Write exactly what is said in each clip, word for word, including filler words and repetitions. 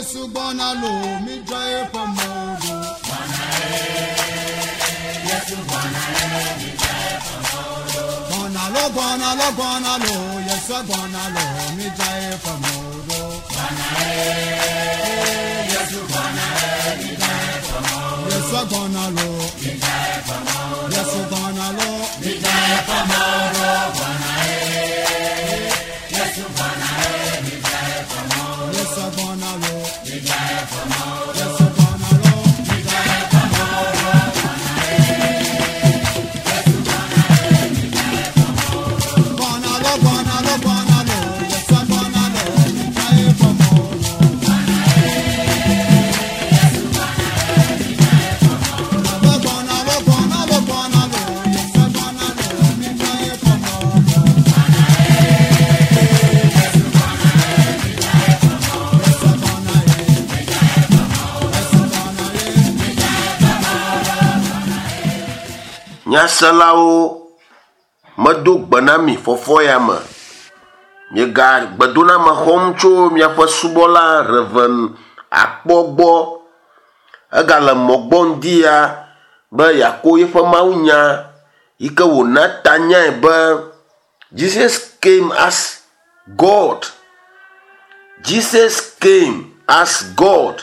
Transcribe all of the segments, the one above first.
Yesu gbɔna lo, mi dzra eƒe mɔwo ɖo. Gbɔna lo, gbɔna lo, gbɔna lo, Yesu gbɔna lo, mi dzra eƒe mɔwo ɖo. Yesu gbɔna lo, Yesu gbɔna lo, mi dzra eƒe mɔwo ɖo. Yesu gbɔna lo, Yesu gbɔna lo, mi dzra eƒe mɔwo ɖo. Gbɔna lo, gbɔna lo, gbɔna lo, Yesu gbɔna lo, mi dzra eƒe mɔwo ɖo. Gbɔna lo, gbɔna lo, gbɔna lo, Yesu gbɔna lo, mi dzra eƒe mɔwo ɖo. Yesu gbɔna ye, Yesu gbɔna ye, mi dzra eƒe mɔwo ɖo. Nyaselawo medo gbe na mi fɔfɔ ya me. Miega gbedoname xɔm tso miaƒe subɔla Reverend Akpɔ gbɔ. Egale mɔ gbɔ ŋdi ya be yeako yeƒe mawunya yi ke wòna tanyae be Jesus came as God. Jesus came as God.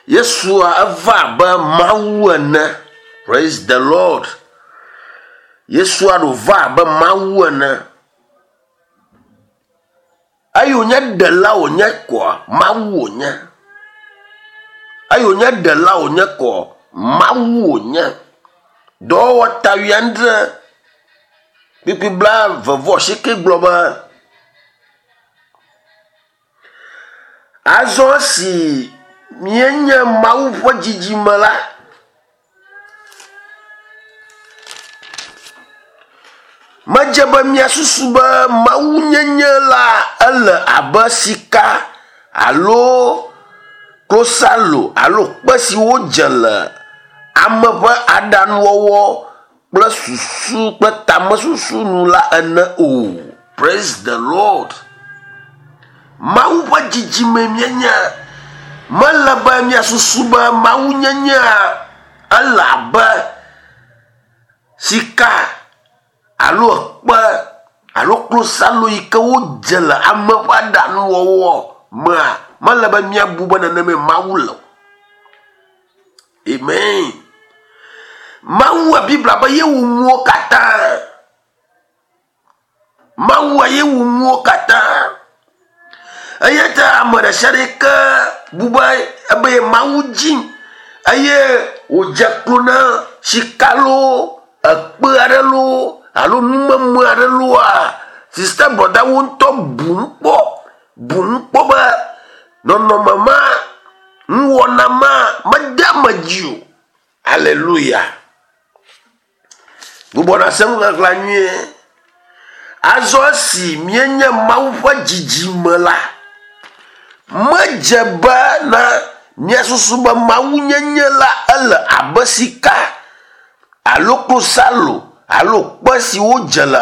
Yesua eva abe Mawu ene. Praise the Lord. Yesua ɖo va abe Mawu ene. Eyi wònye ɖela wònye kɔa, Mawu wònye. Eyi wònye ɖela wònye kɔ, Mawu wònye. Dɔwɔwɔ ta wuiadre kpukpui blaeve vɔ asieke gblɔ be azɔ esi míenye Mawu ƒe dzidzime la, medze be míasusu be mawunyenye la ele abe sika alo klosalo alo kpe si wodze le ame ƒe aɖaŋuwɔwɔ kple susu kple tamesusu nu la ene o. Praise the Lord. Mawu ƒe dzidzime míenye. Mele be míasusu be mawunyenyea ele abe sika alo kpe alo klosalo yi ke wodze le ame ƒe aɖaŋuwɔwɔ mea, mele be míabu be nenemae Mawu le o. Amen. Mawua Biblia be ye wu nuwo katã. Mawua ye wu nuwo katã. Eya ta ame ɖe sia ɖe yi ke bu be ebe ye Mawu dzi eye wòdze klo na sika loo, ekpe aɖe loo alo numeme aɖe looa, sista brɔdawo ŋutɔ bu ŋu kpɔ, bu ŋu kpɔ be nɔnɔme ma, nuwɔna ma mede ame dzi o. Alléluia. Gbugbɔ na se nuxexlẽa nyuie. Azɔ esi míenye Mawu ƒe dzidzime la, medze be na míasusu be mawunyenye la ele abe sika alo klosalo alo kpe si wodze le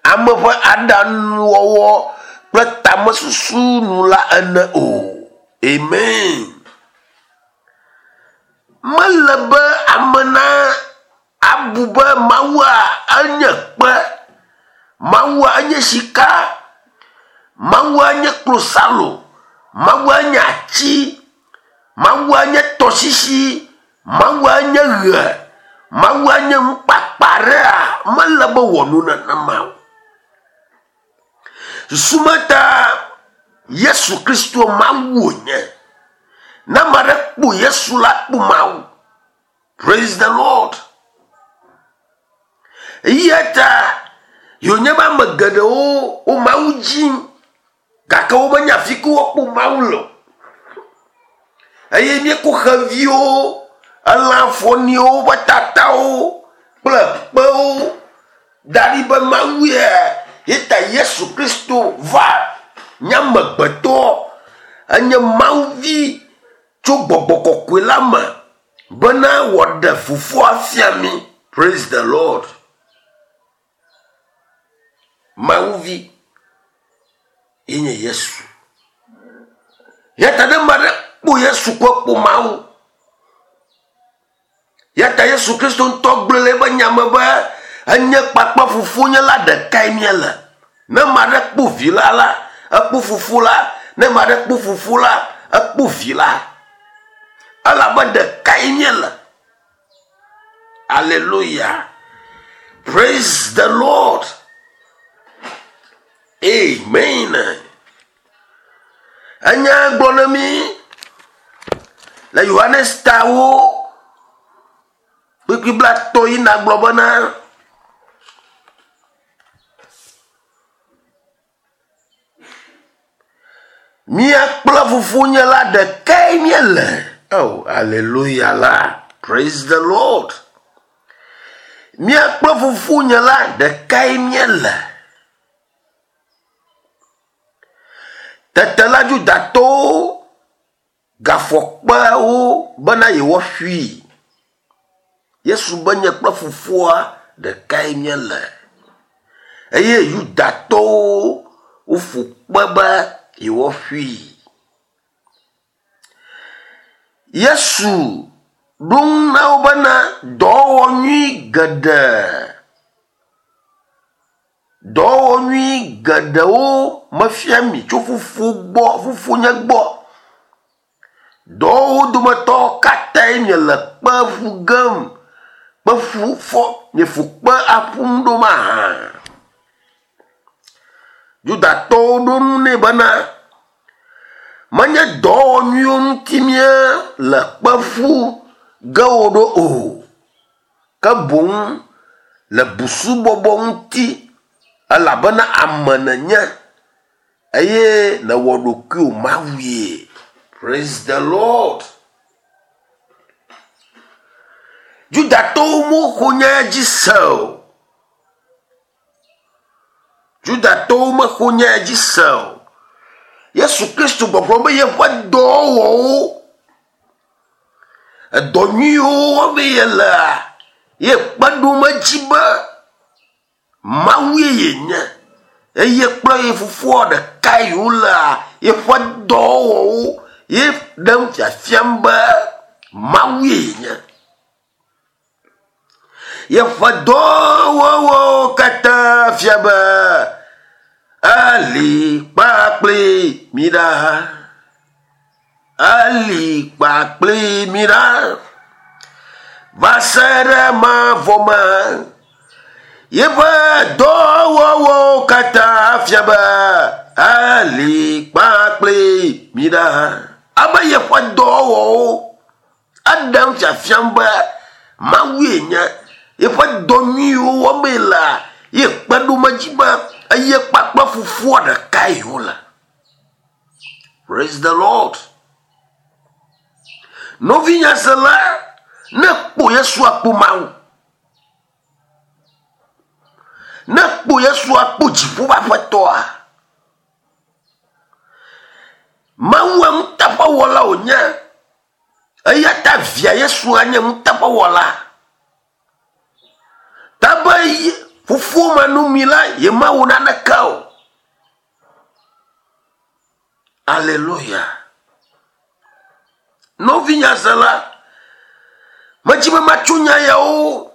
ame ƒe aɖaŋuwɔwɔ kple tamesusu nu la ene o. Amen. Mele be ame na abu be Mawua enye kpe, Mawua enye sika, Mawua nye klosalo, Mawua nye ati, Mawua nye tɔsisi, Mawua nye ɣe, Mawua nye nukpakpa ɖea, mele be wɔ nu nenema o. Susu ma ta Yesu Kristo Mawu wònye. Ne ame aɖe kpɔ Yesu la, kpɔ Mawu. Praise the Lord. Eya ta yonye be ame geɖewo wo Mawu dzim gake womenya afi ke woakpɔ Mawu le o. Eye míekɔ xeviwo, elã fɔniwo ƒe tatawo kple kpewo da ɖi be Mawu ye. Ye ta Yesu Kristo va nye amegbetɔ, enye Mawuvi tso gbɔgbɔ kɔkɔe la me bena wòaɖe fofoa fia mí. Praise the Lord. Mawuvi ye nye Yesu. Yata ne ma ɖe kpo Yesu ko kpo Mawu. Yata Yesu Kristo ŋutɔ gblɔ le eƒe nya me be enye kpakple fofonye la ɖekae míele. Ne ma ɖe kpo vi la la, ekpo fofo la. Ne ma ɖe kpo fofo la, ekpo vi la. Elabe ɖekae míele. Hallelujah. Praise the Lord. Amen. Enya gblɔ na mi le Yohanes tawo kpukpui blaetɔ̃ yi nagblɔ bena mía kple fofonye la ɖekae míele. Oh, hallelujah la. Praise the Lord. Mía kple fofonye la ɖekae míele. Tete la Yudatɔwo gafɔkpewo bena yewoaƒui. Yesu be nye kple fofoa ɖekae míele. Eye Yudatɔwo woƒo kpe be yewoaƒui. Yesu ɖo ŋu na wo bena dɔwɔwɔ nyui geɖe, dɔwɔwɔ nyui geɖewo mefia mi tso fofo gbɔ, fofonye gbɔ. Dɔwɔwɔwo dometɔ katãe miele kpe ƒu gem, kpe ƒu fɔ, mieƒo kpe aƒum ɖo mahã. Yudatɔwo ɖo ŋu nɛ bena menye dɔwɔwɔ nyuiwo ŋuti míele kpe ƒu ge wo ɖo o, ke boŋ le busubɔbɔ ŋuti, elabena ame nènye eye nèwɔ ɖokuiwò Mawue. Praise the Lord. Yudatɔwo mexɔ nya dzi se o. Yudatɔwo mexɔ nya dzi se o. Yesu Kristo gbɔgblɔ be yeƒe dɔwɔwɔwo, edɔ nyuiwo wɔm yelea, ye kpe ɖom edzi be Mawue yenye eye kple ye fofoa ɖekae yewolea, yeƒe dɔwɔwɔwo ye ɖem fiafiam be Mawue yenye. Yeƒe dɔwɔwɔwo katã fia be eli kpakple mi ɖa. Eli kpakple mi ɖa. Va se ɖe mavɔ me. Yeƒe dɔwɔwɔwo katã fia be eli kpakple mi ɖa. Abe yeƒe dɔwɔwɔwo eɖem fiafiam be Mawue nye. Yeƒe dɔ nyuiwo wɔm yelea, ye kpe ɖom edzi be eye kpakple fofoa ɖekae yewole. Praise the Lord. Nɔvinyasela, ne kpo Yesu akpo Mawu. Ne kpo Yesu akpo dziƒo ƒe aƒetɔa. Mawue nuteƒewɔla wònye. Eya ta via Yesu anye nuteƒewɔla. Ta be fofo manɔmee la, yemawɔ naneke o. Alléluia. Nɔvinyasela, medzi be matso nya yawo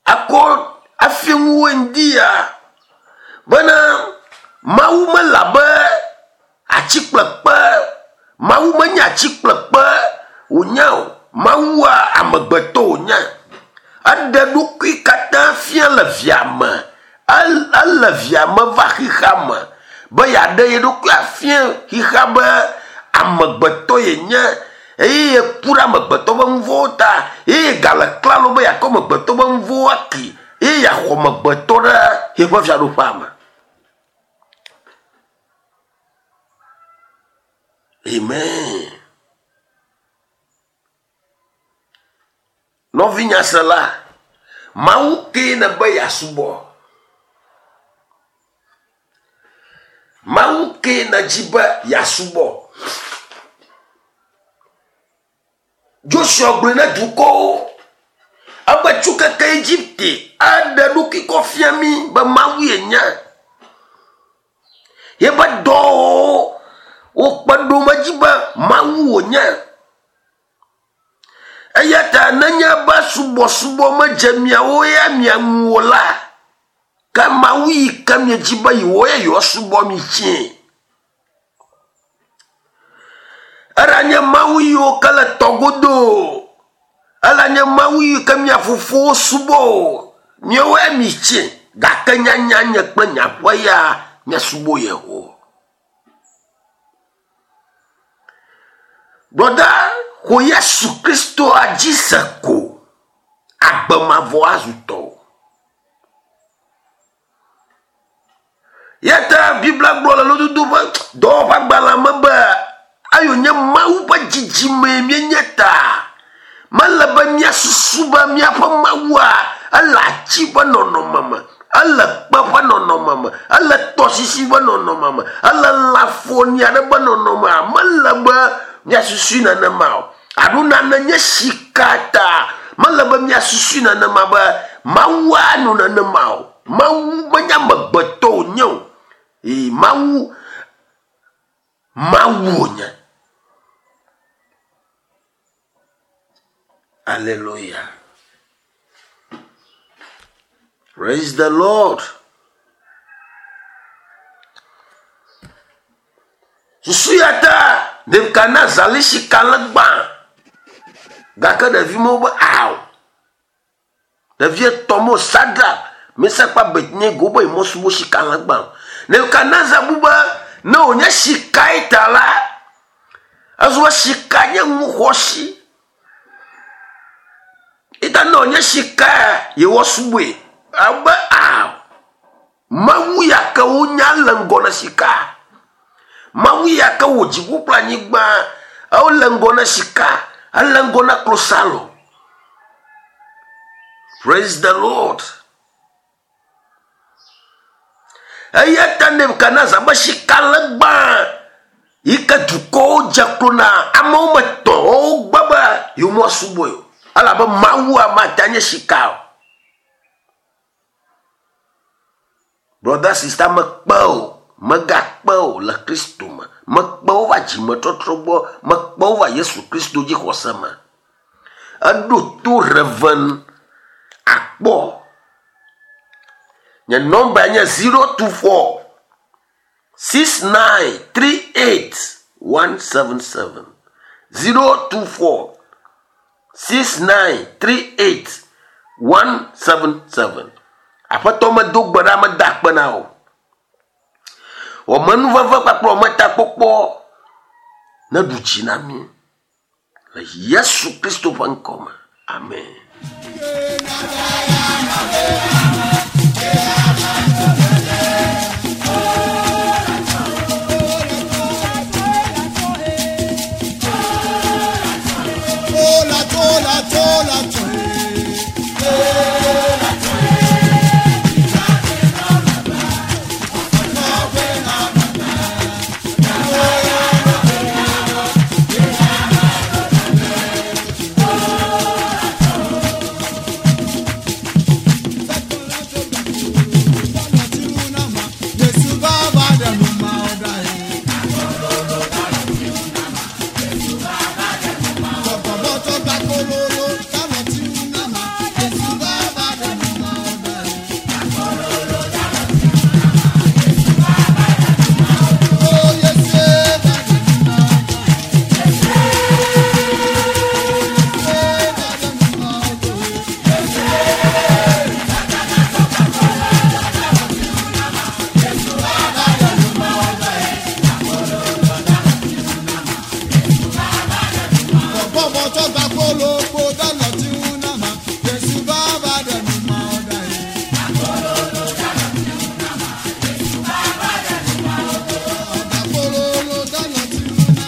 akɔ afia ŋuwò ŋdi ya bena Mawu mele abe atsikplekpe, Mawu menye atsikplekpe wònye o. Mawua amegbetɔ wònye. Eɖe ɖokui katã fia le via me. Ele via me va xexea me be yeaɖe ye ɖokui afia xexea be amegbetɔ yenye eye yeku ɖe amegbetɔ ƒe nu vɔ̃wo ta eye gale klalo be yeakɔ amegbetɔ ƒe nu vɔ̃wo aki eye yeaxɔ amegbetɔ ɖe yeƒe fiaɖuƒea me. Amen. Nɔvinyasela, Mawu kee nèbe yeasubɔ. Mawu kee nèdzi be yeasubɔ. Joshua gblɔe na dukɔwo ebe tso keke Egipte aɖe ɖokui kɔ fia mí be Mawu yenye. Yeƒe dɔwɔwɔwo Wokpe ɖo medzi be Mawu wònye. Eya ta nenye be subɔsubɔ medze miawo ya mia ŋu o la, ke Mawu yi ke miedzi be yewo ya yewoasubɔ mi tsɛ. Eɖanye Mawu yiwo ke le tɔgodo o, eɖanye Mawu yi ke mia fofowo subɔ o, miawo ya mi tsɛ. Gake nyanya nye kple nye aƒe ya míasubɔ Yehowa. Brɔda, xɔ Yesu Kristo adzi se ko, agbe mavɔ azu tɔwò. Ya ta Biblia gblɔ le lododo ƒe dɔwɔƒe agbalẽ me be eyo nye Mawu ƒe dzidzime míenye ta. Mele be míasusu be míaƒe Mawua ele ati ƒe nɔnɔme me, ele kpe ƒe nɔnɔme me, ele tɔsisi ƒe nɔnɔme me, ele lãfoni aɖe ƒe nɔnɔmea. Mele be míasusui nenema o. Alo nane nye sika ta. Mele be míasusui nenema be Mawua nɔ nenema o. Mawu menye amegbetɔ wònye o. Ee, Mawu, Mawu wònye. Hallelujah. Praise the Lord. Susu ya ta Nebukadnezar li sika le gbã. Gake ɖevi mawo be ao. Ɖevi etɔ̃ mo Sadrak, Mesak kple Abednego be yemosubɔ sika le gbã o. Nebukadnezar bu be ne wònye sikae ta la, ezu be sika nye nu xɔasi. Ita ne wònye sikae yewoasubɔe. Abe ao. Mawu ya ke wonya le ŋgɔ na sika. Mawu ya ke wò dziƒo kple anyigba, ele ŋgɔ na sika, ele ŋgɔ na klosalo. Praise the Lord. Eya ta Nebukadnezar be sika le gbã yi ke dukɔwo dze klo na amewo metɔ wogbe be yewoasubɔe o. Elabe Mawua mate nye sika o. Brother, sister, mekpe o, megakpe o le Kristo me. Mekpe wo va dzimetɔtrɔ gbɔ, mekpe wo va Yesu Kristo dzi xɔse me. Eɖo to Reverend Akpɔ. Nye nɔmba nye zero two four six nine three eight one seven seven. Zero two four six nine three eight one seven seven. Aƒetɔ medo gbe ɖa meda akpe na o. Wɔmenuveve kpakple wɔmetakpɔkpɔ neɖu dzi na mí le Yesu Kristo ƒe ŋkɔ me. Amen. Yeah, yeah, yeah.